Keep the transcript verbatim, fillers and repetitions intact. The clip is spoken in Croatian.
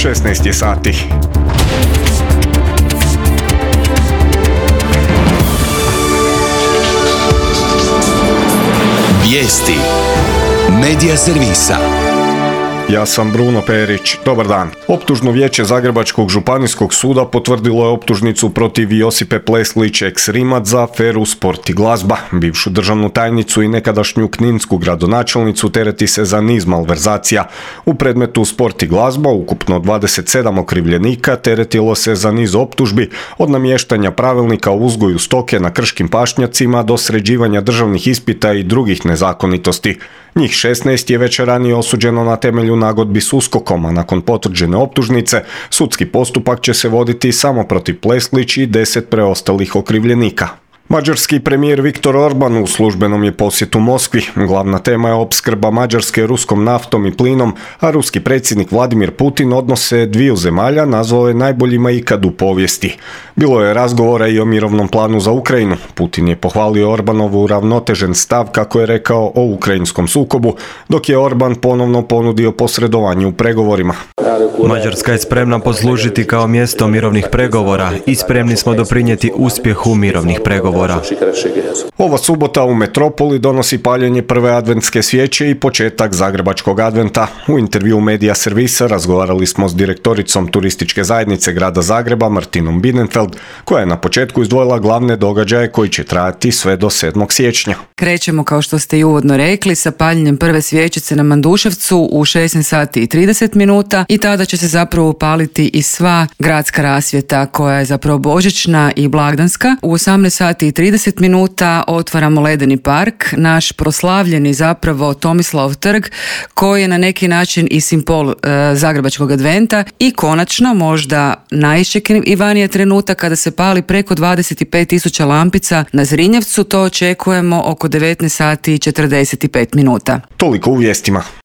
šesnaest je sati. Vijesti Medija servisa. Ja sam Bruno Perić. Dobar dan. Optužno vijeće Zagrebačkog županijskog suda potvrdilo je optužnicu protiv Josipe Pleslić ex-Rimac za aferu Sport i glazba. Bivšu državnu tajnicu i nekadašnju kninsku gradonačelnicu tereti se za niz malverzacija. U predmetu Sport i glazba ukupno dvadeset sedam okrivljenika teretilo se za niz optužbi, od namještanja pravilnika o uzgoju stoke na krškim pašnjacima do sređivanja državnih ispita i drugih nezakonitosti. Njih šesnaest je već ranije osuđeno na temelju nagodbi s uskokom, a nakon potvrđene optužnice sudski postupak će se voditi samo protiv Pleslić i deset preostalih okrivljenika. Mađarski premijer Viktor Orban u službenom je posjetu Moskvi. Glavna tema je opskrba Mađarske ruskom naftom i plinom, a ruski predsjednik Vladimir Putin odnose dviju zemalja nazvao je najboljima ikad u povijesti. Bilo je razgovora i o mirovnom planu za Ukrajinu. Putin je pohvalio Orbanovu uravnotežen stav, kako je rekao, o ukrajinskom sukobu, dok je Orban ponovno ponudio posredovanje u pregovorima. Mađarska je spremna poslužiti kao mjesto mirovnih pregovora i spremni smo doprinijeti uspjehu mirovnih pregovora. Ova subota u metropoli donosi paljenje prve adventske svijeće i početak Zagrebačkog adventa. U intervju Medija servisa razgovarali smo s direktoricom turističke zajednice grada Zagreba Martinom Bienenfeld, koja je na početku izdvojila glavne događaje koji će trajati sve do sedmog siječnja. Krećemo, kao što ste i uvodno rekli, sa paljenjem prve svjećice na Manduševcu u šesnaest sati i trideset minuta i tada će se zapravo upaliti i sva gradska rasvjeta koja je zapravo božićna i blagdanska. U osamnaest sati i trideset minuta otvaramo Ledeni park, naš proslavljeni zapravo Tomislav trg, koji je na neki način i simbol e, Zagrebačkog adventa, i konačno možda najiščekivaniji trenutak kada se pali preko dvadeset pet tisuća lampica na Zrinjevcu. To očekujemo oko devetnaest sati i četrdeset pet minuta. Toliko u vijestima.